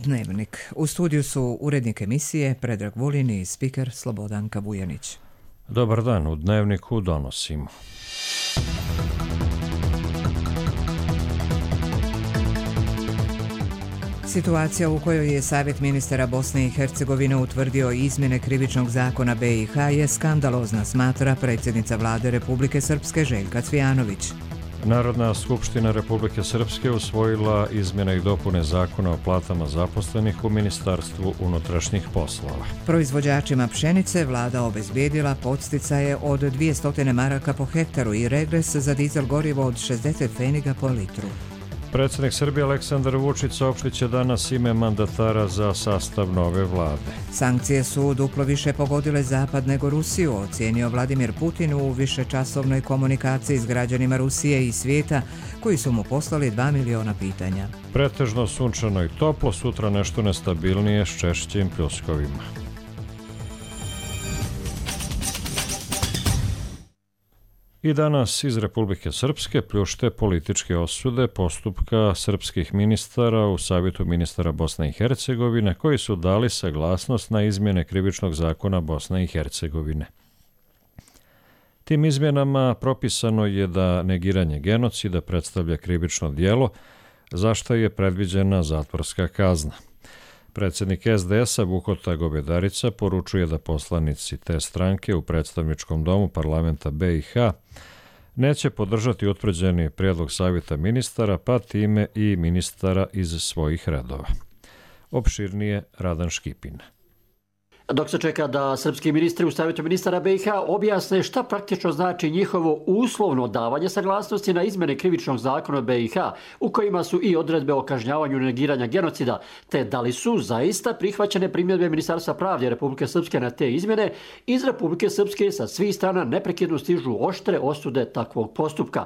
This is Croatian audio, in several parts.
Dnevnik. U studiju su urednik emisije Predrag Vulin i spiker Slobodanka Vujanić. Dobar dan, u Dnevniku donosimo. Situacija u kojoj je Savjet ministara Bosne i Hercegovine utvrdio izmjene krivičnog zakona BiH je skandalozna, smatra predsjednica vlade Republike Srpske Željka Cvijanović. Narodna skupština Republike Srpske usvojila izmjene i dopune zakona o platama zaposlenih u Ministarstvu unutrašnjih poslova. Proizvođačima pšenice vlada obezbijedila podsticaje od 200 maraka po hektaru i regres za dizel gorivo od 60 pfeniga po litru. Predsjednik Srbije Aleksandar Vučić saopštit će danas ime mandatara za sastav nove vlade. Sankcije su duplo više pogodile Zapad nego Rusiju, ocijenio Vladimir Putin u višečasovnoj komunikaciji s građanima Rusije i svijeta koji su mu poslali 2 miliona pitanja. Pretežno sunčano i toplo, sutra nešto nestabilnije s češćim pljuskovima. I danas iz Republike Srpske pljušte političke osude postupka srpskih ministara u Savjetu ministara Bosne i Hercegovine koji su dali saglasnost na izmjene krivičnog zakona Bosne i Hercegovine. Tim izmjenama propisano je da negiranje genocida predstavlja krivično djelo, za što je predviđena zatvorska kazna. Predsjednik SDS-a Vukota Gobedarica poručuje da poslanici te stranke u predstavničkom domu parlamenta BiH neće podržati utvrđeni prijedlog Savjeta ministara, pa time i ministara iz svojih redova. Opširnije Radan Škipin. Dok se čeka da srpski ministri u Savjetu ministara BiH objasne šta praktično znači njihovo uslovno davanje saglasnosti na izmjene krivičnog zakona BiH, u kojima su i odredbe o kažnjavanju negiranja genocida, te da li su zaista prihvaćene primjedbe Ministarstva pravde Republike Srpske na te izmjene, iz Republike Srpske sa svih strana neprekidno stižu oštre osude takvog postupka.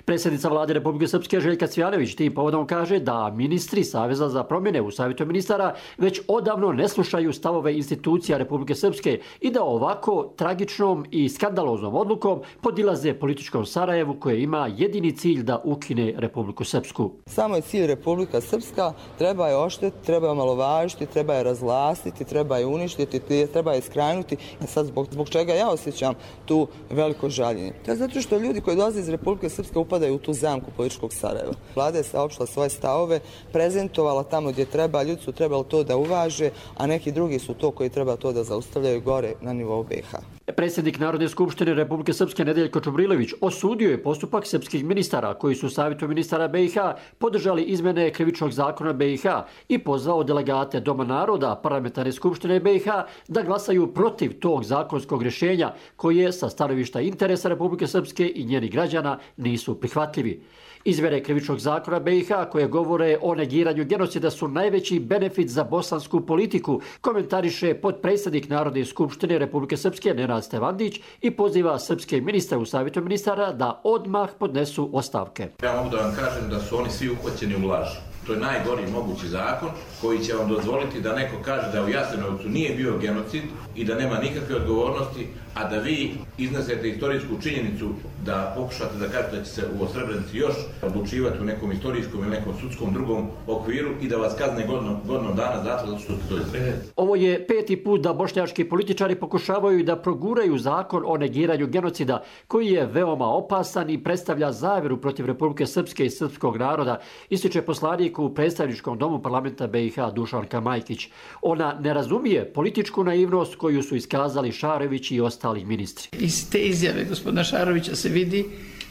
Predsjednica vlade Republike Srpske Željka Cvijanović tim povodom kaže da ministri Saveza za promjene u Savjetu ministara već odavno ne slušaju stavove institucija Republike Srpske i da ovako tragičnom i skandaloznom odlukom podilaze političkom Sarajevu koje ima jedini cilj da ukine Republiku Srpsku. Samo je cilj Republika Srpska, treba je oštetiti, treba je omalovažiti, treba je razvlastiti, treba je uništiti, treba je skrajnuti. Sad zbog čega ja osjećam tu veliko žaljenje? To je zato što ljudi koji dolaze iz Republike Srpske upadaju u tu zamku političkog Sarajeva. Vlada je saopštila svoje stavove, prezentovala tamo gdje treba, ljudi su trebali to da uvaže, a neki drugi su to koji treba to da zaustavljaju gore na nivou BiH. Predsjednik Narodne skupštine Republike Srpske Nedeljko Čubrilović osudio je postupak srpskih ministara koji su u Savjetu ministara BiH podržali izmjene krivičnog zakona BiH i pozvao delegate Doma naroda Parlamentarne skupštine BiH da glasaju protiv tog zakonskog rješenja koje sa stanovišta interesa Republike Srpske i njenih građana nisu prihvatljivi. Izmjene krivičnog zakona BiH koje govore o negiranju genocida su najveći benefit za bosansku politiku, komentariše potpredsjednik Narodne skupštine Republike Srpske Nenad Stevandić i poziva srpske ministre u Savjetu ministara da odmah podnesu ostavke. Ja mogu da vam kažem da su oni svi uhvaćeni u laži. To je najgori mogući zakon koji će vam dozvoliti da neko kaže da u Jasenovcu nije bio genocid i da nema nikakve odgovornosti, a da vi iznesete istorijsku činjenicu da pokušate da kažete da će se u Srebrenici još odlučivati u nekom istorijskom ili nekom sudskom drugom okviru i da vas kazne godinu dana zato što ste to izrekli. Ovo je 5. put da bošnjački političari pokušavaju da proguraju zakon o negiranju genocida koji je veoma opasan i predstavlja zavjeru protiv Republike Srpske i srpskog naroda, ističe poslanik u predstavničkom domu parlamenta BiH Dušanka Majkić. Ona ne razumije političku naivnost koju su iskazali Šarević i ostali ministri. Iz te izjave gospodina Šarovića se vidi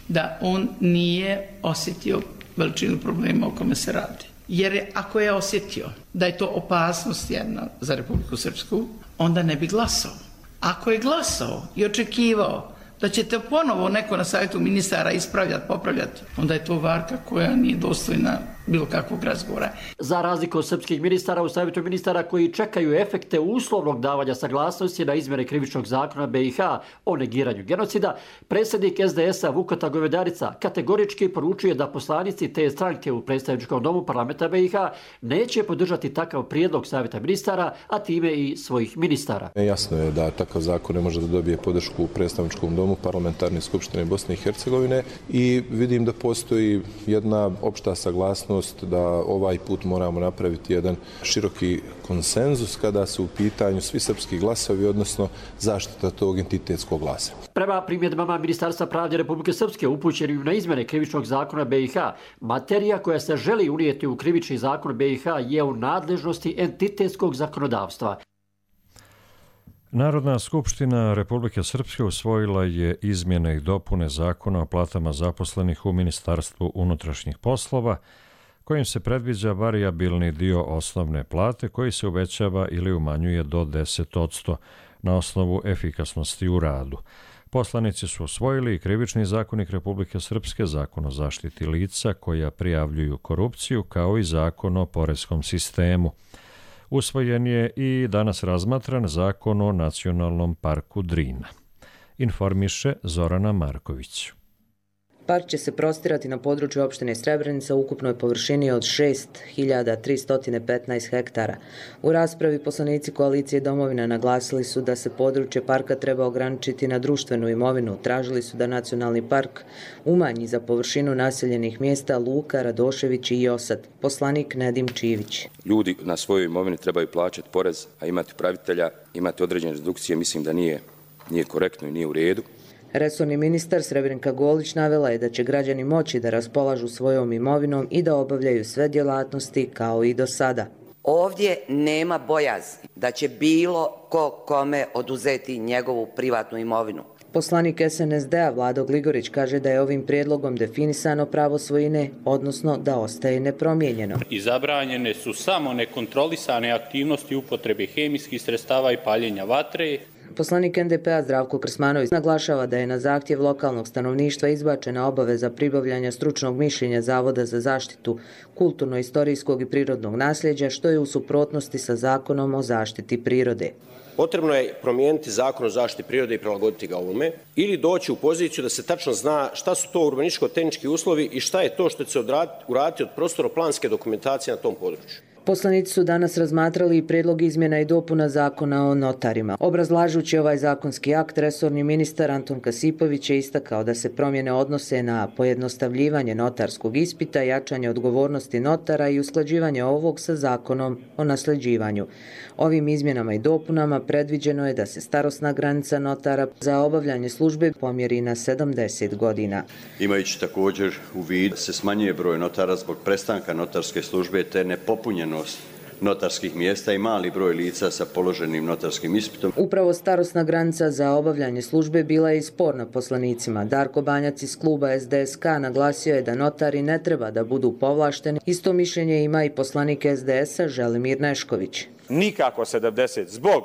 da on nije osjetio veličinu problema o kome se radi. Jer ako je osjetio da je to opasnost jedna za Republiku Srpsku, onda ne bi glasao. Ako je glasao i očekivao da ćete ponovo neko na Savjetu ministara ispravljati, popravljati, onda je to varka koja nije dostojna bilo kakvog razgovora. Za razliku od srpskih ministara u Savjetu ministara koji čekaju efekte uslovnog davanja saglasnosti na izmjene krivičnog zakona BiH o negiranju genocida, predsjednik SDS-a Vukota Govedarica kategorički poručuje da poslanici te stranke u predstavničkom domu parlamenta BiH neće podržati takav prijedlog Savjeta ministara, a time i svojih ministara. Jasno je da takav zakon ne može da dobije podršku u predstavničkom domu Parlamentarne skupštine Bosne i Hercegovine i vidim da postoji jedna opšta saglasnost mogućnost da ovaj put moramo napraviti jedan široki konsenzus kada su u pitanju svi srpski glasovi, odnosno zaštita tog entitetskog glasa. Prema primjedbama Ministarstva pravde Republike Srpske upućenim na izmjene krivičnog zakona BiH, materija koja se želi unijeti u krivični zakon BiH je u nadležnosti entitetskog zakonodavstva. Narodna skupština Republike Srpske usvojila je izmjene i dopune zakona o platama zaposlenih u Ministarstvu unutrašnjih poslova, kojim se predviđa varijabilni dio osnovne plate koji se uvećava ili umanjuje do 10% na osnovu efikasnosti u radu. Poslanici su usvojili i Krivični zakonik Republike Srpske, Zakon o zaštiti lica koja prijavljuju korupciju, kao i Zakon o poreskom sistemu. Usvojen je i danas razmatran Zakon o Nacionalnom parku Drina. Informiše Zorana Marković. Park će se prostirati na području opštine Srebrenica u ukupnoj površini od 6.315 hektara. U raspravi poslanici koalicije Domovina naglasili su da se područje parka treba ograničiti na društvenu imovinu. Tražili su da Nacionalni park umanji za površinu naseljenih mjesta Luka, Radošević i Osad. Poslanik Nedim Čivić. Ljudi na svojoj imovini trebaju plaćati porez, a imati upravitelja, imati određene redukcije, mislim da nije korektno i nije u redu. Resorni ministar Srebrenka Golić navela je da će građani moći da raspolažu svojom imovinom i da obavljaju sve djelatnosti kao i do sada. Ovdje nema bojazni da će bilo ko kome oduzeti njegovu privatnu imovinu. Poslanik SNSD-a Vlado Gligorić kaže da je ovim prijedlogom definisano pravo svojine, odnosno da ostaje nepromijenjeno. I zabranjene su samo nekontrolisane aktivnosti upotrebe hemijskih sredstava i paljenja vatre. Poslanik NDP-a Zdravko Krsmanović naglašava da je na zahtjev lokalnog stanovništva izbačena obaveza pribavljanja stručnog mišljenja Zavoda za zaštitu kulturno-istorijskog i prirodnog nasljeđa, što je u suprotnosti sa Zakonom o zaštiti prirode. Potrebno je promijeniti Zakon o zaštiti prirode i prilagoditi ga ovome ili doći u poziciju da se tačno zna šta su to urbanističko-tehnički uslovi i šta je to što će se uraditi od prostorno-planske dokumentacije na tom području. Poslanici su danas razmatrali i prijedlog izmjena i dopuna Zakona o notarima. Obrazlažući ovaj zakonski akt, resorni ministar Anton Kasipović je istakao da se promjene odnose na pojednostavljivanje notarskog ispita, jačanje odgovornosti notara i usklađivanje ovog sa Zakonom o nasljeđivanju. Ovim izmjenama i dopunama predviđeno je da se starosna granica notara za obavljanje službe pomjeri na 70 godina. Imajući također u vidu se smanjuje broj notara zbog prestanka notarske službe te nepopunjenost notarskih mjesta i mali broj lica sa položenim notarskim ispitom. Upravo starosna granica za obavljanje službe bila je i sporna poslanicima. Darko Banjac iz kluba SDSK naglasio je da notari ne treba da budu povlašteni. Isto mišljenje ima i poslanik SDS-a Želimir Nešković. Nikako 70 zbog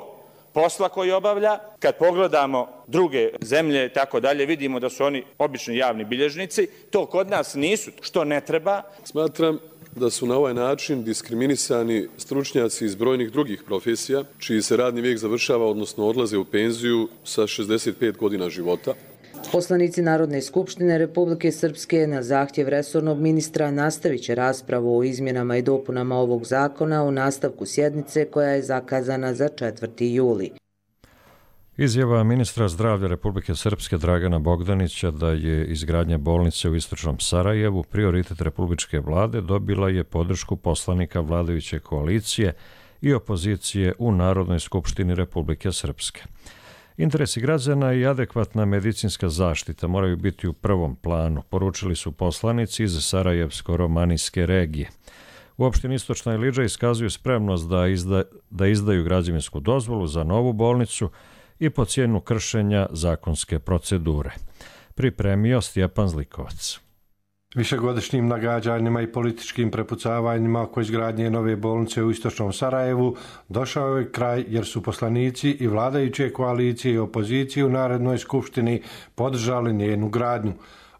posla koji obavlja. Kad pogledamo druge zemlje i tako dalje, vidimo da su oni obični javni bilježnici. To kod nas nisu, što ne treba. Smatram da su na ovaj način diskriminisani stručnjaci iz brojnih drugih profesija, čiji se radni vijek završava, odnosno odlaze u penziju sa 65 godina života. Poslanici Narodne skupštine Republike Srpske na zahtjev resornog ministra nastavit će raspravu o izmjenama i dopunama ovog zakona u nastavku sjednice koja je zakazana za 4. juli. Izjava ministra zdravlja Republike Srpske Dragana Bogdanića da je izgradnja bolnice u istočnom Sarajevu prioritet republičke vlade dobila je podršku poslanika vladajuće koalicije i opozicije u Narodnoj skupštini Republike Srpske. Interesi građana i adekvatna medicinska zaštita moraju biti u prvom planu, poručili su poslanici iz Sarajevsko-romanijske regije. U opštini Istočna Ilidža iskazuju spremnost da izdaju građevinsku dozvolu za novu bolnicu i po cijenu kršenja zakonske procedure. Pripremio Stjepan Zlikovac. Višegodišnjim nagađanjima i političkim prepucavanjima oko izgradnje nove bolnice u istočnom Sarajevu došao je kraj jer su poslanici i vladajuće koalicije i opozicije u Narodnoj skupštini podržali njenu gradnju.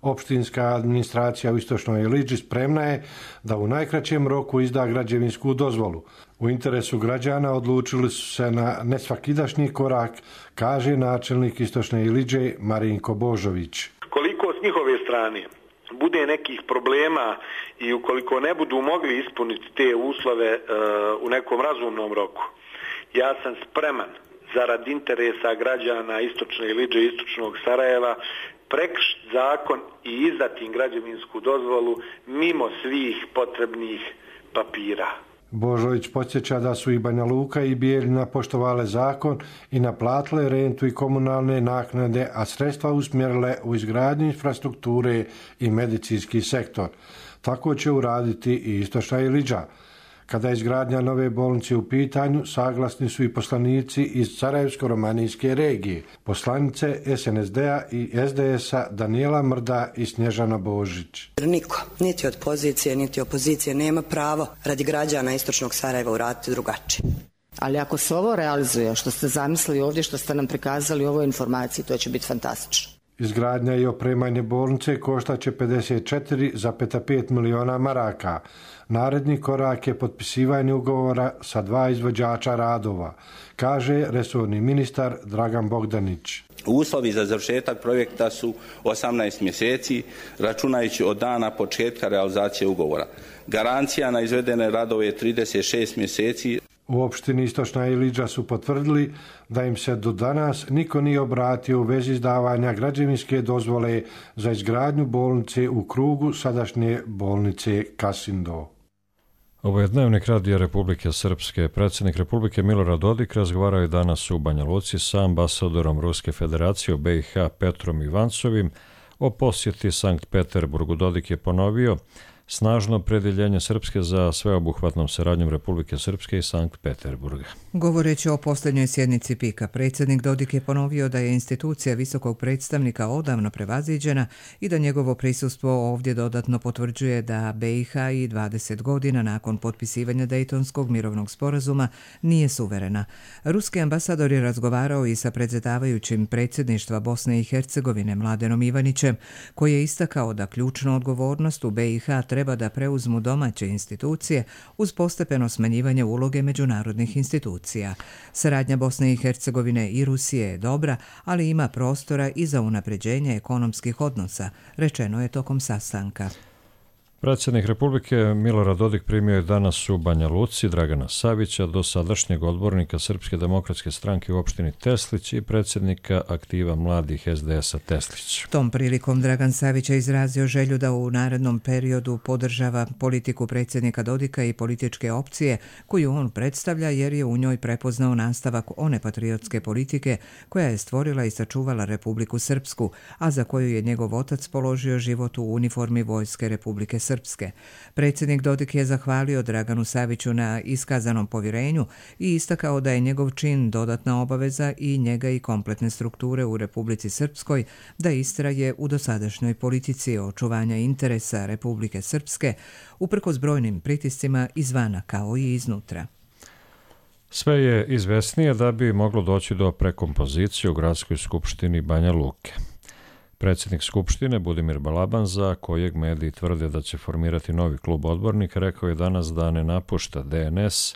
Opštinska administracija u Istočnoj Ilidži spremna je da u najkraćem roku izda građevinsku dozvolu. U interesu građana odlučili su se na nesvakidašnji korak, kaže načelnik Istočne Ilidže Marinko Božović. Koliko s njihove strane bude nekih problema i ukoliko ne budu mogli ispuniti te uslove u nekom razumnom roku, ja sam spreman zarad interesa građana Istočne Ilidže i Istočnog Sarajeva prekršiti zakon i izdati im građevinsku dozvolu mimo svih potrebnih papira. Božović podsjeća da su i Banja Luka i Bijeljina poštovale zakon i naplatile rentu i komunalne naknade, a sredstva usmjerile u izgradnju infrastrukture i medicinski sektor. Tako će uraditi i Istočna Ilidža. Kada je izgradnja nove bolnice u pitanju, saglasni su i poslanici iz Sarajevsko-romanijske regije, poslanice SNSD-a i SDS-a Danijela Mrda i Snježana Božić. Niko, niti od pozicije, niti opozicije nema pravo radi građana Istočnog Sarajeva uraditi drugačije. Ali ako se ovo realizuje, što ste zamislili ovdje, što ste nam prikazali u ovoj informaciji, to će biti fantastično. Izgradnja i opremanje bolnice koštaće 54,5 miliona maraka. Naredni korak je potpisivanje ugovora sa 2 izvođača radova, kaže resorni ministar Dragan Bogdanić. Uslovi za završetak projekta su 18 mjeseci, računajući od dana početka realizacije ugovora. Garancija na izvedene radove je 36 mjeseci. U opštini Istočna Ilidža su potvrdili da im se do danas niko nije obratio u vezi izdavanja građevinske dozvole za izgradnju bolnice u krugu sadašnje bolnice Kasindo. Ovo je Dnevnik Radija Republike Srpske. Predsjednik Republike Milorad Dodik razgovarao je danas u Banja Luci sa ambasadorom Ruske federacije u BiH Petrom Ivancovim o posjeti Sankt Peterburgu. Dodik je ponovio snažno opredjeljenje Srpske za sveobuhvatnom saradnjom Republike Srpske i Sankt Peterburga. Govoreći o posljednjoj sjednici PIK-a, predsjednik Dodik je ponovio da je institucija visokog predstavnika odavno prevaziđena i da njegovo prisustvo ovdje dodatno potvrđuje da BiH i 20 godina nakon potpisivanja Dejtonskog mirovnog sporazuma nije suverena. Ruski ambasador je razgovarao i sa predsjedavajućim predsjedništva Bosne i Hercegovine Mladenom Ivanićem, koji je istakao da ključnu odgovornost u BiH treba da preuzmu domaće institucije uz postepeno smanjivanje uloge međunarodnih institucija. Saradnja Bosne i Hercegovine i Rusije je dobra, ali ima prostora i za unapređenje ekonomskih odnosa, rečeno je tokom sastanka. Predsjednik Republike Milorad Dodik primio je danas u Banja Luci Dragana Savića, dosadašnjeg odbornika Srpske demokratske stranke u opštini Teslić i predsjednika aktiva mladih SDS-a Teslić. Tom prilikom Dragan Savić je izrazio želju da u narednom periodu podržava politiku predsjednika Dodika i političke opcije koju on predstavlja, jer je u njoj prepoznao nastavak one patriotske politike koja je stvorila i sačuvala Republiku Srpsku, a za koju je njegov otac položio život u uniformi Vojske Republike Srpske. Predsjednik Dodik je zahvalio Draganu Saviću na iskazanom povjerenju i istakao da je njegov čin dodatna obaveza i njega i kompletne strukture u Republici Srpskoj da istraje u dosadašnjoj politici očuvanja interesa Republike Srpske uprkos brojnim pritiscima izvana kao i iznutra. Sve je izvesnije da bi moglo doći do prekompozicije u Gradskoj skupštini Banja Luke. Predsjednik Skupštine Budimir Balaban, za kojeg mediji tvrde da će formirati novi klub odbornika, rekao je danas da ne napušta DNS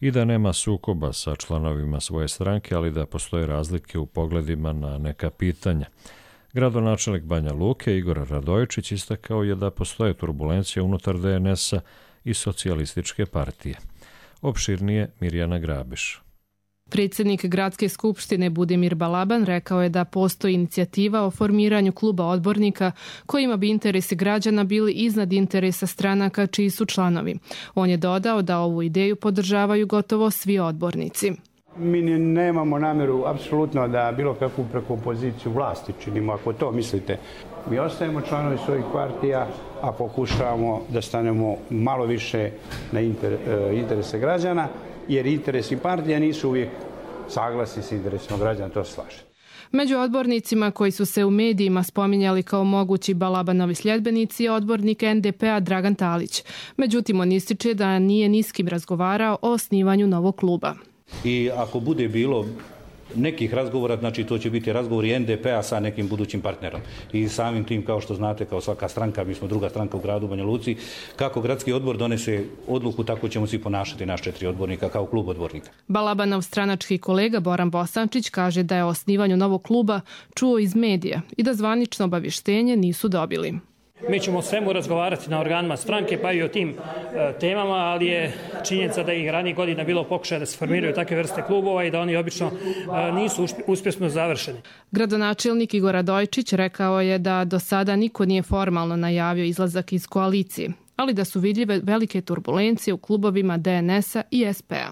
i da nema sukoba sa članovima svoje stranke, ali da postoje razlike u pogledima na neka pitanja. Gradonačelnik Banja Luke Igor Radojičić istakao je da postoje turbulencije unutar DNS-a i socijalističke partije. Opširnije Mirjana Grabiš. Predsjednik Gradske skupštine Budimir Balaban rekao je da postoji inicijativa o formiranju kluba odbornika kojima bi interesi građana bili iznad interesa stranaka čiji su članovi. On je dodao da ovu ideju podržavaju gotovo svi odbornici. Mi nemamo namjeru apsolutno da bilo kakvu prekompoziciju vlasti činimo, ako to mislite. Mi ostajemo članovi svojih partija, a pokušavamo da stanemo malo više na interese građana, jer interesi partija nisu uvijek saglasni s interesima građana, to se slaže. Među odbornicima koji su se u medijima spominjali kao mogući Balabanovi sljedbenici je odbornik NDP-a Dragan Talić. Međutim, on ističe da nije ni s kim razgovarao o osnivanju novog kluba. I ako bude bilo nekih razgovora, znači to će biti razgovori NDP-a sa nekim budućim partnerom. I samim tim, kao što znate, kao svaka stranka, mi smo druga stranka u gradu Banja Luci, kako gradski odbor donese odluku, tako ćemo svi ponašati naš 4 odbornika kao klub odbornika. Balabanov stranački kolega Boran Bosančić kaže da je o osnivanju novog kluba čuo iz medija i da zvanično obavještenje nisu dobili. Mi ćemo o svemu razgovarati na organima stranke, pa i o tim temama, ali je činjenica da ih ranijih godina bilo pokušaja da se formiraju takve vrste klubova i da oni obično nisu uspješno završeni. Gradonačelnik Igor Radojčić rekao je da do sada niko nije formalno najavio izlazak iz koalicije, ali da su vidljive velike turbulencije u klubovima DNS-a i SP-a.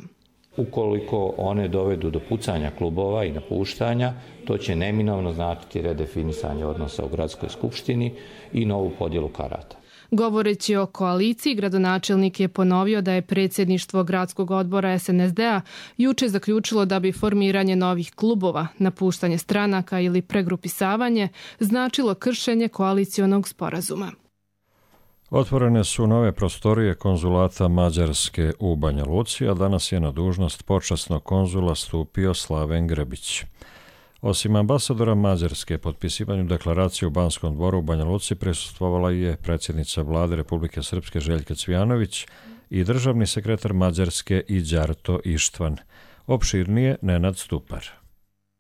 Ukoliko one dovedu do pucanja klubova i napuštanja, to će neminovno značiti redefinisanje odnosa u gradskoj skupštini i novu podjelu karata. Govoreći o koaliciji, gradonačelnik je ponovio da je predsjedništvo gradskog odbora SNSD-a juče zaključilo da bi formiranje novih klubova, napuštanje stranaka ili pregrupisavanje značilo kršenje koalicionog sporazuma. Otvorene su nove prostorije konzulata Mađarske u Banja Luci, a danas je na dužnost počasnog konzula stupio Slaven Grbić. Osim ambasadora Mađarske, potpisivanju deklaracije u Banskom dvoru u Banja Luci prisustvovala je predsjednica vlade Republike Srpske Željka Cvijanović i državni sekretar Mađarske Đarto Ištvan. Opširnije Nenad Stupar.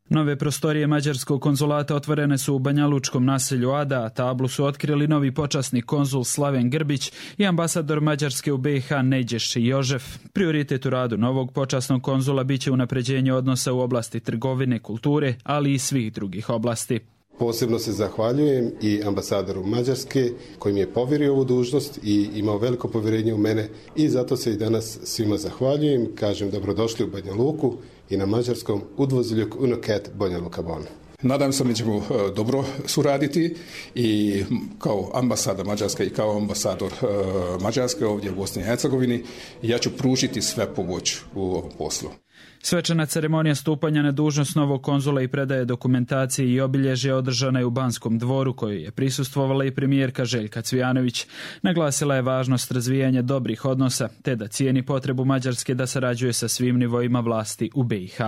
Nove prostorije mađarskog konzulata otvorene su u banjalučkom naselju Ada, a tablu su otkrili novi počasni konzul Slaven Grbić i ambasador Mađarske u BiH Neđeš Jožef. Prioritet u radu novog počasnog konzula biće unapređenje odnosa u oblasti trgovine, kulture, ali i svih drugih oblasti. Posebno se zahvaljujem i ambasadoru Mađarske koji mi je povjerio ovu dužnost i imao veliko povjerenje u mene i zato se i danas svima zahvaljujem. Kažem dobrodošli u Banja Luku i na mađarskom udvozljuk unoket Banja Luka Bon. Nadam se da ćemo dobro suraditi i kao ambasada Mađarske i kao ambasador Mađarske ovdje u Bosni i Hercegovini ja ću pružiti sve pomoć u ovom poslu. Svečana ceremonija stupanja na dužnost novog konzula i predaje dokumentacije i obilježja održana je u Banskom dvoru, kojoj je prisustvovala i premijerka Željka Cvijanović. Naglasila je važnost razvijanja dobrih odnosa, te da cijeni potrebu Mađarske da sarađuje sa svim nivoima vlasti u BiH.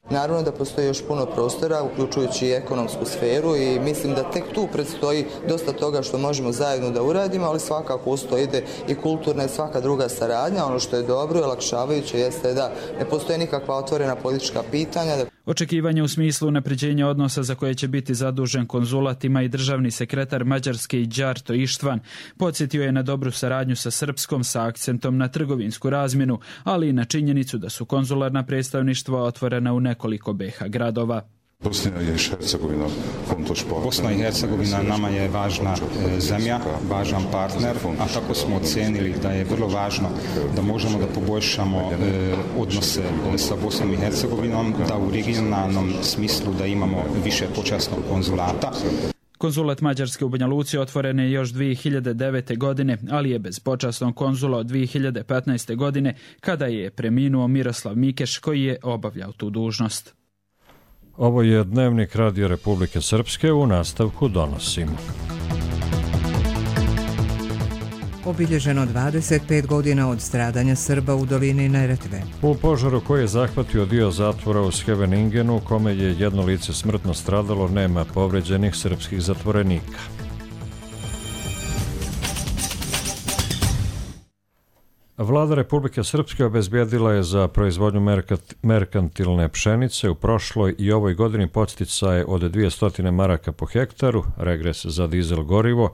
Naravno da postoji još puno prostora, uključujući i ekonomsku sferu i mislim da tek tu predstoji dosta toga što možemo zajedno da uradimo, ali svakako uz to ide i kulturna i svaka druga saradnja. Ono što je dobro i olakšavajuće jeste da ne postoje nikakva otvorena politička pitanja. Očekivanje u smislu unapređenja odnosa za koje će biti zadužen konzulat ima i državni sekretar Mađarske Đarto Ištvan. Podsjetio je na dobru saradnju sa Srpskom sa akcentom na trgovinsku razmjenu, ali i na činjenicu da su konzularna predstavništva otvorena u nekoliko BiH gradova. Bosna i Hercegovina nama je važna zemlja, važan partner, a tako smo ocenili da je vrlo važno da možemo da poboljšamo odnose sa Bosnom i Hercegovinom, da u regionalnom smislu da imamo više počasnog konzulata. Konzulat Mađarske u Banja Luci otvoren je još 2009. godine, ali je bez počasnog konzula od 2015. godine, kada je preminuo Miroslav Mikeš, koji je obavljao tu dužnost. Ovo je Dnevnik Radio Republike Srpske, u nastavku donosimo. Obilježeno 25 godina od stradanja Srba u dolini Neretve. U požaru koji je zahvatio dio zatvora u Scheveningenu, kome je jedno lice smrtno stradalo, nema povređenih srpskih zatvorenika. Vlada Republike Srpske obezbijedila je za proizvodnju merkantilne pšenice u prošloj i ovoj godini podsticaje od 200 maraka po hektaru, regres za dizel gorivo,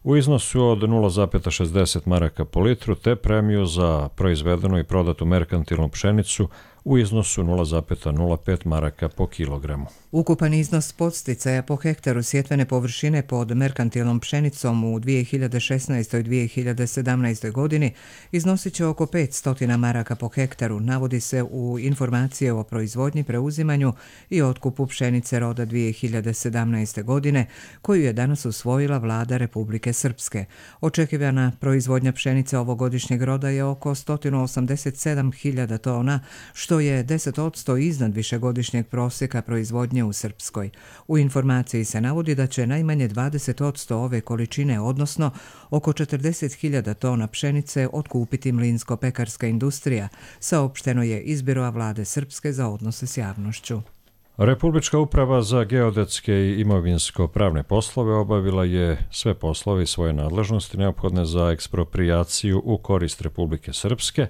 u iznosu od 0,60 maraka po litru, te premiju za proizvedenu i prodatu merkantilnu pšenicu u iznosu 0,05 maraka po kilogramu. Ukupan iznos podsticaja po hektaru sjetvene površine pod merkantilnom pšenicom u 2016. i 2017. godini iznosit će oko 500 maraka po hektaru, navodi se u informacije o proizvodnji, preuzimanju i otkupu pšenice roda 2017. godine, koju je danas usvojila vlada Republike Srpske. Očekivana proizvodnja pšenice ovogodišnjeg roda je oko 187.000 tona, što je 10% iznad višegodišnjeg prosjeka proizvodnje u Srpskoj. U informaciji se navodi da će najmanje 20% ove količine, odnosno oko 40.000 tona pšenice, otkupiti mlinsko-pekarska industrija, saopšteno je iz Biroa vlade Srpske za odnose s javnošću. Republička uprava za geodetske i imovinsko-pravne poslove obavila je sve poslove i svoje nadležnosti neophodne za eksproprijaciju u korist Republike Srpske,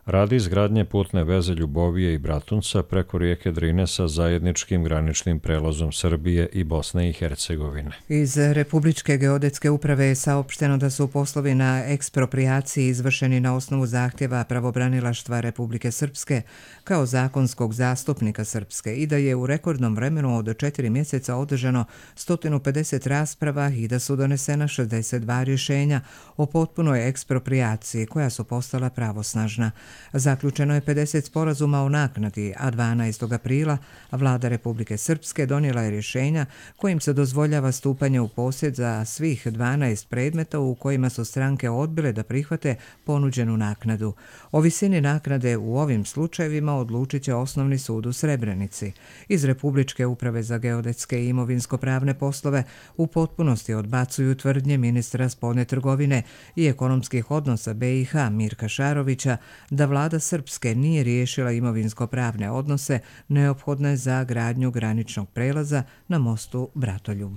radi izgradnje putne veze Ljubovije i Bratunca preko rijeke Drine sa zajedničkim graničnim prelazom Srbije i Bosne i Hercegovine. Iz Republičke geodetske uprave je saopšteno da su poslovi na eksproprijaciji izvršeni na osnovu zahtjeva pravobranilaštva Republike Srpske kao zakonskog zastupnika Srpske i da je u rekordnom vremenu od 4 mjeseca održano 150 rasprava i da su donesena 62 rješenja o potpunoj eksproprijaciji koja su postala pravosnažna. Zaključeno je 50 sporazuma o naknadi, a 12. aprila Vlada Republike Srpske donijela je rješenja kojim se dozvoljava stupanje u posjed za svih 12 predmeta u kojima su stranke odbile da prihvate ponuđenu naknadu. O visini naknade u ovim slučajevima odlučit će Osnovni sud u Srebrenici. Iz Republičke uprave za geodetske i imovinsko-pravne poslove u potpunosti odbacuju tvrdnje ministra spoljne trgovine i ekonomskih odnosa BiH Mirka Šarovića da vlada Srpske nije riješila imovinsko-pravne odnose neophodne za gradnju graničnog prelaza na mostu Bratoljub.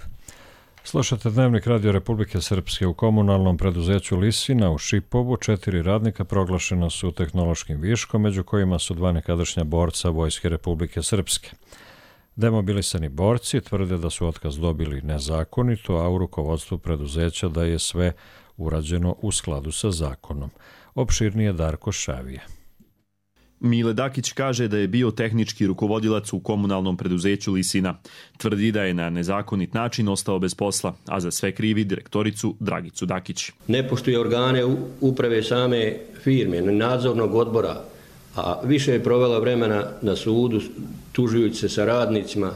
Slušate Dnevnik Radio Republike Srpske. U komunalnom preduzeću Lisina u Šipovu 4 radnika proglašena su tehnološkim viškom, među kojima su 2 nekadašnja borca Vojske Republike Srpske. Demobilisani borci tvrde da su otkaz dobili nezakonito, a u rukovodstvu preduzeća da je sve urađeno u skladu sa zakonom. Opširnije Darko Šavije. Mile Dakić kaže da je bio tehnički rukovodilac u komunalnom preduzeću Lisina. Tvrdi da je na nezakonit način ostao bez posla, a za sve krivi direktoricu Dragicu Dakić. Ne poštuje organe uprave same firme, nadzornog odbora, a više je provela vremena na sudu tužujući se sa radnicima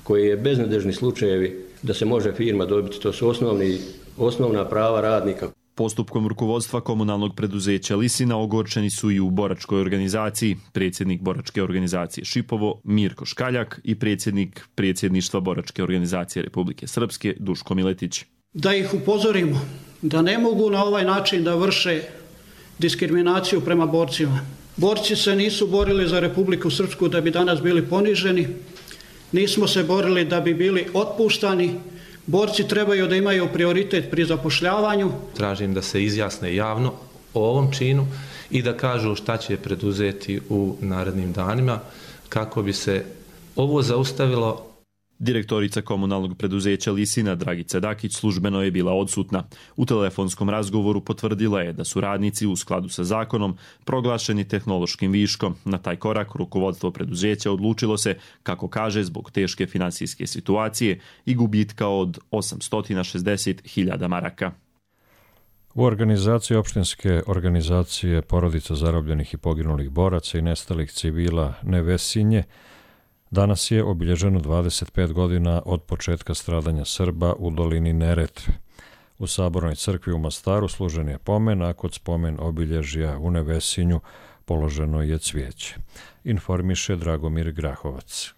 koji je beznadežni slučajevi da se može firma dobiti. To su osnovna prava radnika. Postupkom rukovodstva komunalnog preduzeća Lisina ogorčeni su i u boračkoj organizaciji, predsjednik boračke organizacije Šipovo Mirko Škaljak i predsjednik predsjedništva boračke organizacije Republike Srpske Duško Miletić. Da ih upozorimo da ne mogu na ovaj način da vrše diskriminaciju prema borcima. Borci se nisu borili za Republiku Srpsku da bi danas bili poniženi, nismo se borili da bi bili otpuštani. Borci trebaju da imaju prioritet pri zapošljavanju. Tražim da se izjasne javno o ovom činu i da kažu šta će preduzeti u narednim danima kako bi se ovo zaustavilo. Direktorica komunalnog preduzeća Lisina Dragica Dakić službeno je bila odsutna. U telefonskom razgovoru potvrdila je da su radnici u skladu sa zakonom proglašeni tehnološkim viškom. Na taj korak rukovodstvo preduzeća odlučilo se, kako kaže, zbog teške finansijske situacije i gubitka od 860.000 maraka. U organizaciji opštinske organizacije porodica zarobljenih i poginulih boraca i nestalih civila Nevesinje danas je obilježeno 25 godina od početka stradanja Srba u dolini Neretve. U Sabornoj crkvi u Mostaru služen je pomen, a kod spomen obilježja u Nevesinju položeno je cvijeće. Informiše Dragomir Grahovac.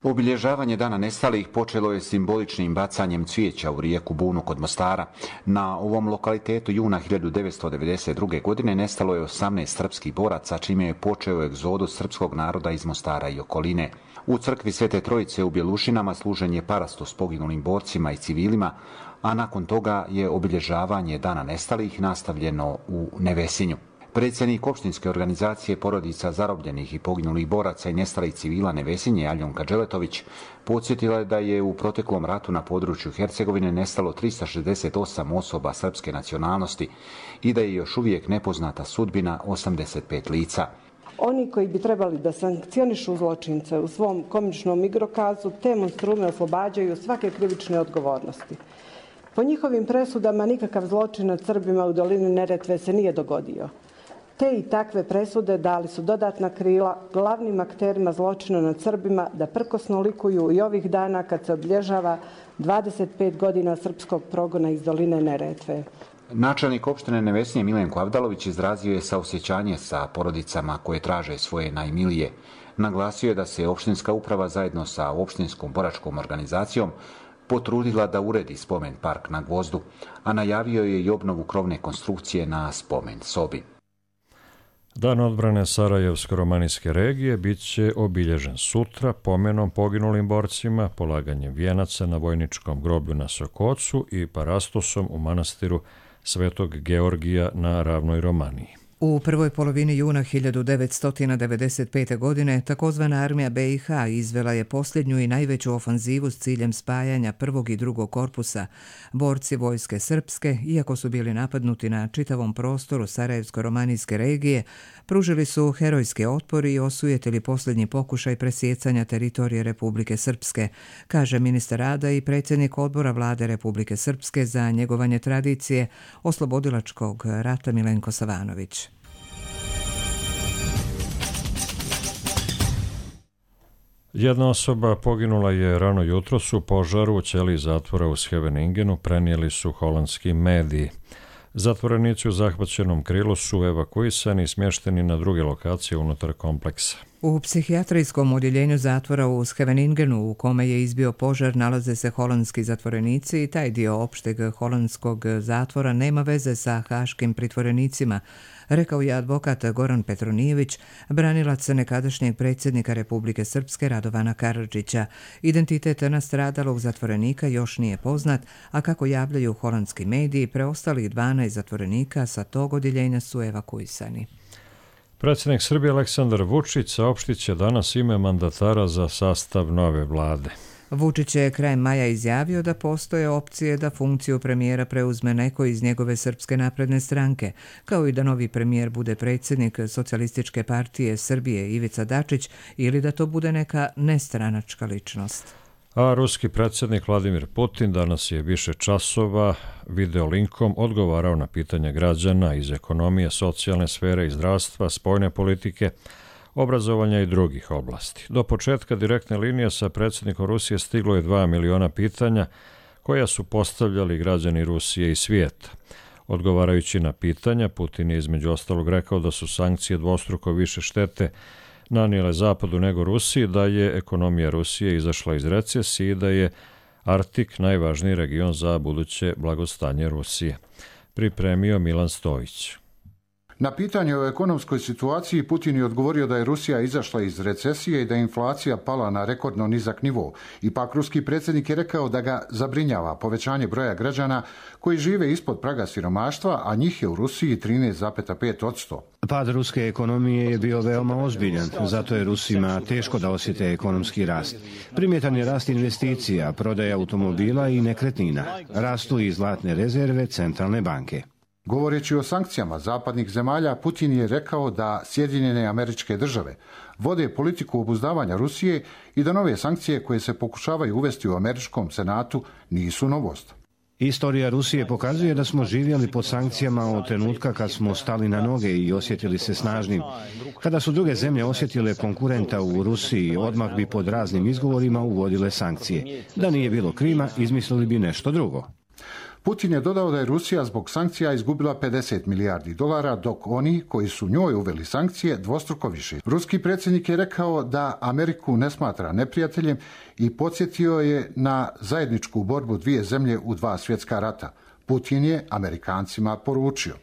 Obilježavanje Dana nestalih počelo je simboličnim bacanjem cvijeća u rijeku Bunu kod Mostara. Na ovom lokalitetu juna 1992. godine nestalo je 18 srpskih boraca, čime je počeo egzodus srpskog naroda iz Mostara i okoline. U crkvi Svete Trojice u Bjelušinama služen je parastos poginulim borcima i civilima, a nakon toga je obilježavanje Dana nestalih nastavljeno u Nevesinju. Predsjednik opštinske organizacije porodica zarobljenih i poginulih boraca i nestalih civila Nevesinje Aljonka Đeletović podsjetila je da je u proteklom ratu na području Hercegovine nestalo 368 osoba srpske nacionalnosti i da je još uvijek nepoznata sudbina 85 lica. Oni koji bi trebali da sankcionišu zločince u svom komičnom igrokazu te monstrume oslobađaju svake krivične odgovornosti. Po njihovim presudama nikakav zločin nad Srbima u dolini Neretve se nije dogodio. Te i takve presude dali su dodatna krila glavnim akterima zločina nad Srbima da prkosno likuju i ovih dana kad se obilježava 25 godina srpskog progona iz doline Neretve. Načelnik opštine Nevesinje Milenko Avdalović izrazio je saosjećanje sa porodicama koje traže svoje najmilije. Naglasio je da se opštinska uprava zajedno sa opštinskom boračkom organizacijom potrudila da uredi spomen park na Gvozdu, a najavio je i obnovu krovne konstrukcije na spomen sobi. Dan odbrane Sarajevsko-romanijske regije bit će obilježen sutra pomenom poginulim borcima, polaganjem vijenaca na vojničkom groblju na Sokocu i parastosom u manastiru Svetog Georgija na Ravnoj Romaniji. U prvoj polovini juna 1995. godine takozvana armija BiH izvela je posljednju i najveću ofanzivu s ciljem spajanja prvog i drugog korpusa. Borci vojske srpske, iako su bili napadnuti na čitavom prostoru Sarajevsko-romanijske regije, pružili su herojski otpor i osujetili posljednji pokušaj presjecanja teritorije Republike Srpske, kaže ministar rada i predsjednik odbora vlade Republike Srpske za njegovanje tradicije oslobodilačkog rata Milenko Savanović. Jedna osoba poginula je rano jutros u požaru u ćeliji zatvora u Scheveningenu, prenijeli su holandski mediji. Zatvorenici u zahvaćenom krilu su evakuisani i smješteni na druge lokacije unutar kompleksa. U psihijatrijskom odjeljenju zatvora u Scheveningenu, u kome je izbio požar, nalaze se holandski zatvorenici i taj dio opšteg holandskog zatvora nema veze sa haškim pritvorenicima, rekao je advokat Goran Petronijević, branilac nekadašnjeg predsjednika Republike Srpske Radovana Karadžića. Identitet nastradalog zatvorenika još nije poznat, a kako javljaju holandski mediji, preostalih 12 zatvorenika sa tog odjeljenja su evakuisani. Predsjednik Srbije Aleksandar Vučić saopštit će danas ime mandatara za sastav nove vlade. Vučić je krajem maja izjavio da postoje opcije da funkciju premijera preuzme neko iz njegove Srpske napredne stranke, kao i da novi premijer bude predsjednik Socijalističke partije Srbije Ivica Dačić ili da to bude neka nestranačka ličnost. A ruski predsjednik Vladimir Putin danas je više časova videolinkom odgovarao na pitanja građana iz ekonomije, socijalne sfere i zdravstva, spoljne politike, obrazovanja i drugih oblasti. Do početka direktne linije sa predsjednikom Rusije stiglo je 2 miliona pitanja koja su postavljali građani Rusije i svijeta. Odgovarajući na pitanja, Putin je između ostalog rekao da su sankcije dvostruko više štete nanijele Zapadu nego Rusiji, da je ekonomija Rusije izašla iz recesije i da je Arktik najvažniji region za buduće blagostanje Rusije. Pripremio Milan Stojić. Na pitanje o ekonomskoj situaciji Putin je odgovorio da je Rusija izašla iz recesije i da je inflacija pala na rekordno nizak nivo. Ipak ruski predsjednik je rekao da ga zabrinjava povećanje broja građana koji žive ispod praga siromaštva, a njih je u Rusiji 13,5%. Pad ruske ekonomije je bio veoma ozbiljan, zato je Rusima teško da osjete ekonomski rast. Primjetan je rast investicija, prodaja automobila i nekretnina. Rastu i zlatne rezerve centralne banke. Govoreći o sankcijama zapadnih zemalja, Putin je rekao da Sjedinjene Američke Države vode politiku obuzdavanja Rusije i da nove sankcije koje se pokušavaju uvesti u američkom senatu nisu novost. Istorija Rusije pokazuje da smo živjeli pod sankcijama od trenutka kad smo stali na noge i osjetili se snažnim. Kada su druge zemlje osjetile konkurenta u Rusiji, odmah bi pod raznim izgovorima uvodile sankcije. Da nije bilo Krima, izmislili bi nešto drugo. Putin je dodao da je Rusija zbog sankcija izgubila $50 milijardi, dok oni koji su njoj uveli sankcije dvostruko više. Ruski predsjednik je rekao da Ameriku ne smatra neprijateljem i podsjetio je na zajedničku borbu dvije zemlje u 2 svjetska rata. Putin je Amerikancima poručio: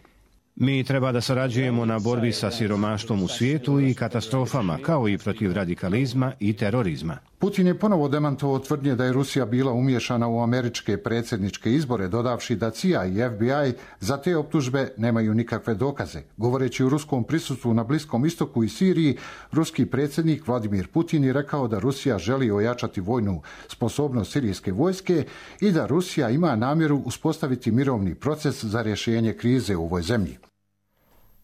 Mi treba da sarađujemo na borbi sa siromaštvom u svijetu i katastrofama, kao i protiv radikalizma i terorizma. Putin je ponovo demantovao tvrdnje da je Rusija bila umiješana u američke predsjedničke izbore, dodavši da CIA i FBI za te optužbe nemaju nikakve dokaze. Govoreći o ruskom prisustvu na Bliskom istoku i Siriji, ruski predsjednik Vladimir Putin je rekao da Rusija želi ojačati vojnu sposobnost sirijske vojske i da Rusija ima namjeru uspostaviti mirovni proces za rješenje krize u ovoj zemlji.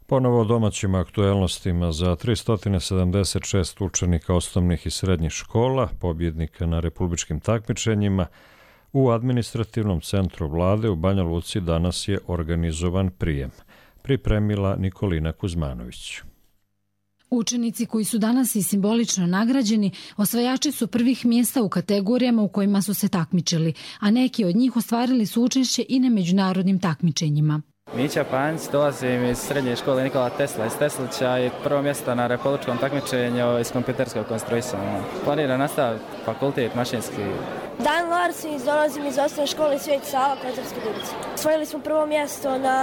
Ponovo o domaćim aktuelnostima. Za 376 učenika osnovnih i srednjih škola, pobjednika na republičkim takmičenjima, u administrativnom centru vlade u Banja Luci danas je organizovan prijem. Pripremila Nikolina Kuzmanović. Učenici koji su danas i simbolično nagrađeni osvajači su prvih mjesta u kategorijama u kojima su se takmičili, a neki od njih ostvarili su učešće i na međunarodnim takmičenjima. Mića Panjić, dolazim iz srednje škole Nikola Tesla iz Teslića i prvo mjesto na republičkom takmičenju iz kompjuterskog konstruisanja. Planiram nastaviti fakultet mašinski. Dan Larsić, dolazim iz osnovne škole Svet Sava, Kozarske Dubice. Osvojili smo prvo mjesto na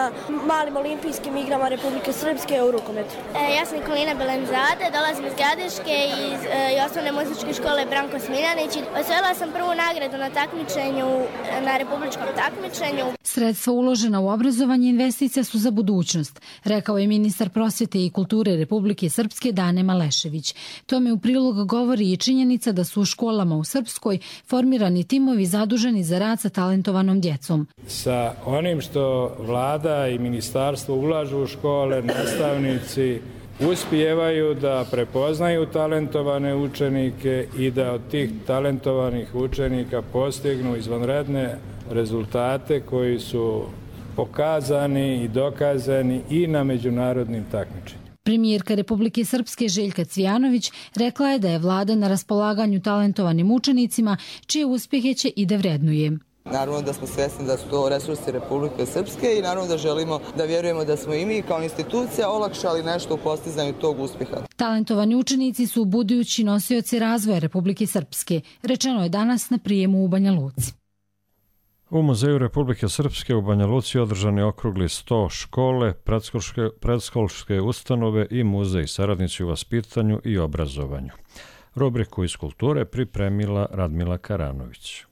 malim olimpijskim igrama Republike Srpske u rukometu. Ja sam Nikolina Belenzade, dolazim iz Gradiške iz osnovne muzičke škole Branko Smiljanić. Osvojila sam prvu nagradu na takmičenju, na republičkom takmičenju. Sredstva uložena u obrazovanje investicija su za budućnost, rekao je ministar prosvjete i kulture Republike Srpske Dane Malešević. Tome u prilog govori i činjenica da su u školama u Srpskoj formirani timovi zaduženi za rad sa talentovanom djecom. Sa onim što vlada i ministarstvo ulažu u škole, nastavnici uspijevaju da prepoznaju talentovane učenike i da od tih talentovanih učenika postignu izvanredne rezultate koji su pokazani i dokazani i na međunarodnim takmičenjima. Premijerka Republike Srpske Željka Cvijanović rekla je da je vlada na raspolaganju talentovanim učenicima, čije uspjehe će i da vrednuje. Naravno da smo svjesni da su to resursi Republike Srpske i naravno da želimo da vjerujemo da smo i mi kao institucija olakšali nešto u postizanju tog uspjeha. Talentovani učenici su budući nosioci razvoja Republike Srpske, rečeno je danas na prijemu u Banja Luci. U Muzeju Republike Srpske u Banja Luci održan je okrugli 100 škole, predškolske ustanove i muzej, saradnici u vaspitanju i obrazovanju. Rubriku iz kulture pripremila Radmila Karanović.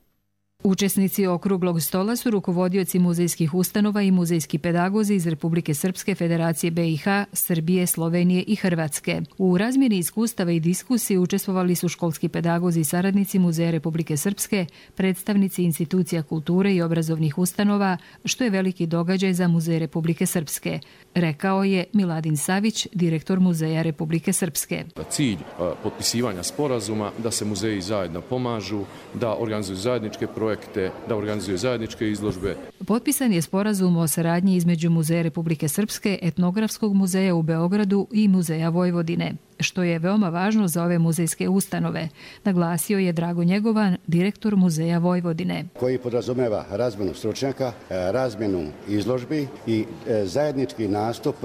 Učesnici okruglog stola su rukovodioci muzejskih ustanova i muzejski pedagozi iz Republike Srpske, Federacije BiH, Srbije, Slovenije i Hrvatske. U razmjeni iskustava i diskusiji učestvovali su školski pedagozi i saradnici Muzeja Republike Srpske, predstavnici institucija kulture i obrazovnih ustanova, što je veliki događaj za Muzej Republike Srpske, rekao je Miladin Savić, direktor Muzeja Republike Srpske. Cilj potpisivanja sporazuma da se muzeji zajedno pomažu, da organizuju zajedničke projekte, da organizuju zajedničke izložbe. Potpisan je sporazum o saradnji između Muzeja Republike Srpske, Etnografskog muzeja u Beogradu i Muzeja Vojvodine, što je veoma važno za ove muzejske ustanove, naglasio je Drago Njegovan, direktor Muzeja Vojvodine. Koji podrazumeva razmjenu stručnjaka, razmjenu izložbi i zajednički nastup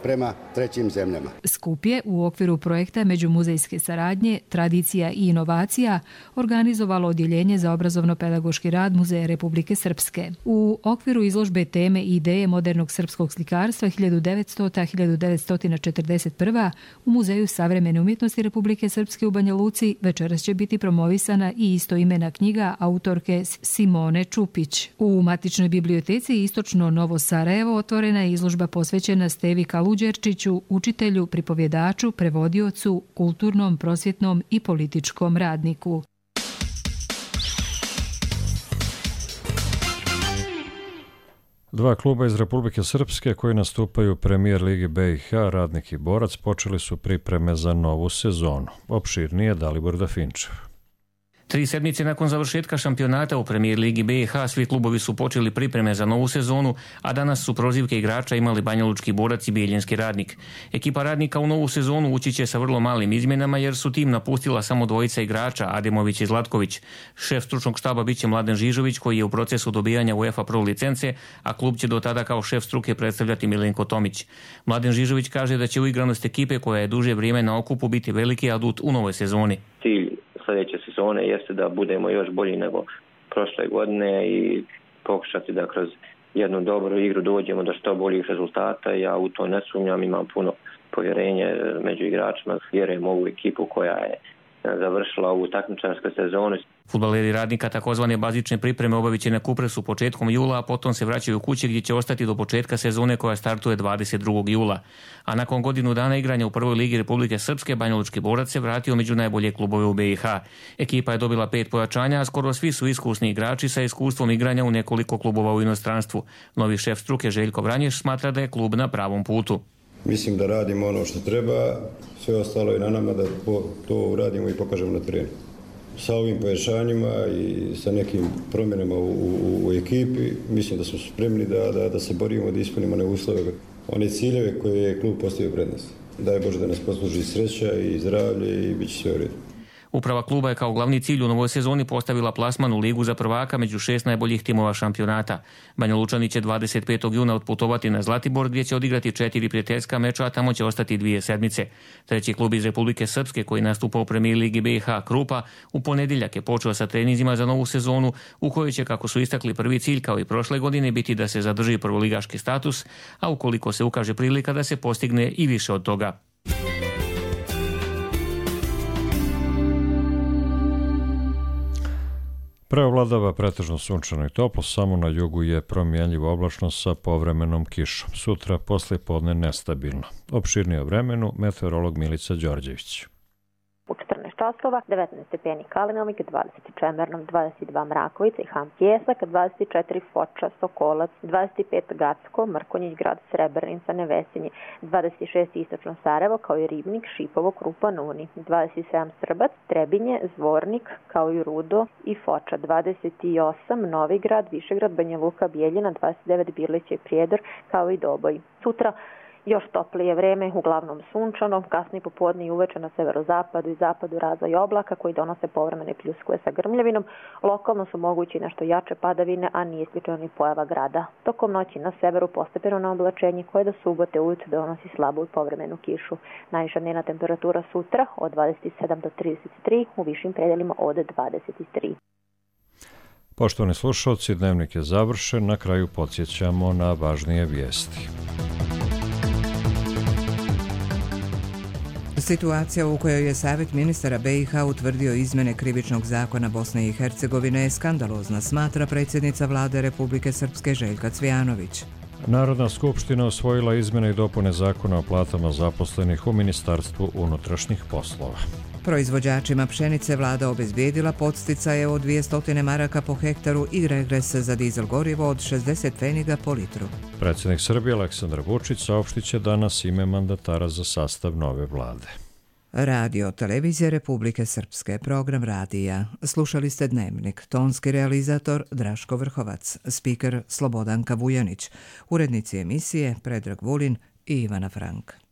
prema trećim zemljama. Skup je u okviru projekta Međumuzejske saradnje, tradicija i inovacija organizovalo Odjeljenje za obrazovno-pedagoški rad Muzeja Republike Srpske. U okviru izložbe teme i ideje modernog srpskog slikarstva 1900-1941 u Muzeju savremene umjetnosti Republike Srpske u Banja Luci večeras će biti promovisana i istoimena knjiga autorke Simone Čupić. U matičnoj biblioteci Istočno Novo Sarajevo otvorena je izložba posvećena Stevi Kaluđerčiću, učitelju, pripovjedaču, prevodiocu, kulturnom, prosvjetnom i političkom radniku. Dva kluba iz Republike Srpske koji nastupaju u Premijer Ligi BiH, Radnik i Borac, počeli su pripreme za novu sezonu. Opširnije Dalibor Dafinčev. 3 sedmice nakon završetka šampionata u Premijer Ligi BiH svi klubovi su počeli pripreme za novu sezonu, a danas su prozivke igrača imali Banjalučki Borac i Bijeljinski Radnik. Ekipa Radnika u novu sezonu ući će sa vrlo malim izmjenama jer su tim napustila samo dvojica igrača, Ademović i Zlatković. Šef stručnog štaba biće Mladen Žižović koji je u procesu dobijanja UEFA Pro licence, a klub će do tada kao šef struke predstavljati Milenko Tomić. Mladen Žižović kaže da će uigranost ekipe koja je duže vrijeme na okupu biti veliki adut u novoj sezoni. Sljedeće sezone jeste da budemo još bolji nego prošle godine i pokušati da kroz jednu dobru igru dođemo do što boljih rezultata. Ja u to ne sumnjam, imam puno povjerenje među igračima, vjerujem u ovu ekipu koja je završila ovu takmičarsku sezonu. Fudbaleri Radnika takozvane bazične pripreme obavit će na Kupresu početkom jula, a potom se vraćaju kući gdje će ostati do početka sezone koja startuje 22. jula. A nakon godinu dana igranja u prvoj ligi Republike Srpske, Banjalučki Borac se vratio među najbolje klubove u BiH. Ekipa je dobila 5 pojačanja, a skoro svi su iskusni igrači sa iskustvom igranja u nekoliko klubova u inostranstvu. Novi šef struke Željko Vranješ smatra da je klub na pravom putu. Mislim da radimo ono što treba, sve ostalo je na nama da to uradimo i pokažemo na terenu. Sa ovim pojačanjima i sa nekim promjenama u ekipi, mislim da smo spremni da se borimo, da ispunimo one ciljeve koje je klub postavio pred nas. Daj Bože da nas posluži sreća i zdravlje i bit će sve u redu. Uprava kluba je kao glavni cilj u novoj sezoni postavila plasman u ligu za prvaka među 6 najboljih timova šampionata. Banja Lučani će 25. juna otputovati na Zlatibor gdje će odigrati 4 prijateljska meča, a tamo će ostati 2 sedmice. Treći klub iz Republike Srpske koji nastupa u Premijer Ligi BiH, Krupa, u ponedjeljak je počeo sa treninzima za novu sezonu u kojoj će, kako su istakli, prvi cilj kao i prošle godine biti da se zadrži prvoligaški status, a ukoliko se ukaže prilika da se postigne i više od toga. Preovladava pretežno sunčano i toplo, samo na jugu je promjenjivo oblačno sa povremenom kišom. Sutra poslijepodne nestabilno. Opširnije o vremenu meteorolog Milica Đorđević. U 14 časova, 19 stepeni Kalinovik, 20 Čemernom, 22 Mrakovica i Ham Pjesak, 24 Foča, Sokolac, 25 Gacko, Mrkonjić, grad Srebrenica, Nevesinje, 26 Istočno Sarajevo, kao i Ribnik, Šipovo, Krupan, Uni, 27 Srbac, Trebinje, Zvornik, kao i Rudo i Foča, 28 Novigrad, Višegrad, Banja Luka, Bijeljina, 29 Birlić i Prijedor, kao i Doboj. Sutra još toplije vreme, uglavnom sunčano, kasnije popodne i uveče na severozapadu i zapadu razvoj oblaka koji donose povremene pljuskove sa grmljavinom. Lokalno su mogući nešto jače padavine, a nije isključeno ni pojava grada. Tokom noći na severu postepeno oblačenje koje do subote ujutro donosi slabu i povremenu kišu. Najviša dnevna temperatura sutra od 27 do 33, u višim predelima od 23. Poštovani slušalci, dnevnik je završen. Na kraju podsjećamo na važnije vijesti. Situacija u kojoj je Savjet ministara BiH utvrdio izmjene krivičnog zakona Bosne i Hercegovine je skandalozna, smatra predsjednica vlade Republike Srpske Željka Cvijanović. Narodna skupština usvojila izmjene i dopune zakona o platama zaposlenih u Ministarstvu unutrašnjih poslova. Proizvođačima pšenice vlada obezbijedila podsticaje od 200 maraka po hektaru i regres za dizel gorivo od 60 pfeniga po litru. Predsjednik Srbije Aleksandar Vučić saopštit će danas ime mandatara za sastav nove vlade. Radio Televizija Republike Srpske, program radija. Slušali ste Dnevnik, tonski realizator Draško Vrhovac, spiker Slobodanka Vujanić, urednici emisije Predrag Vulin i Ivana Frank.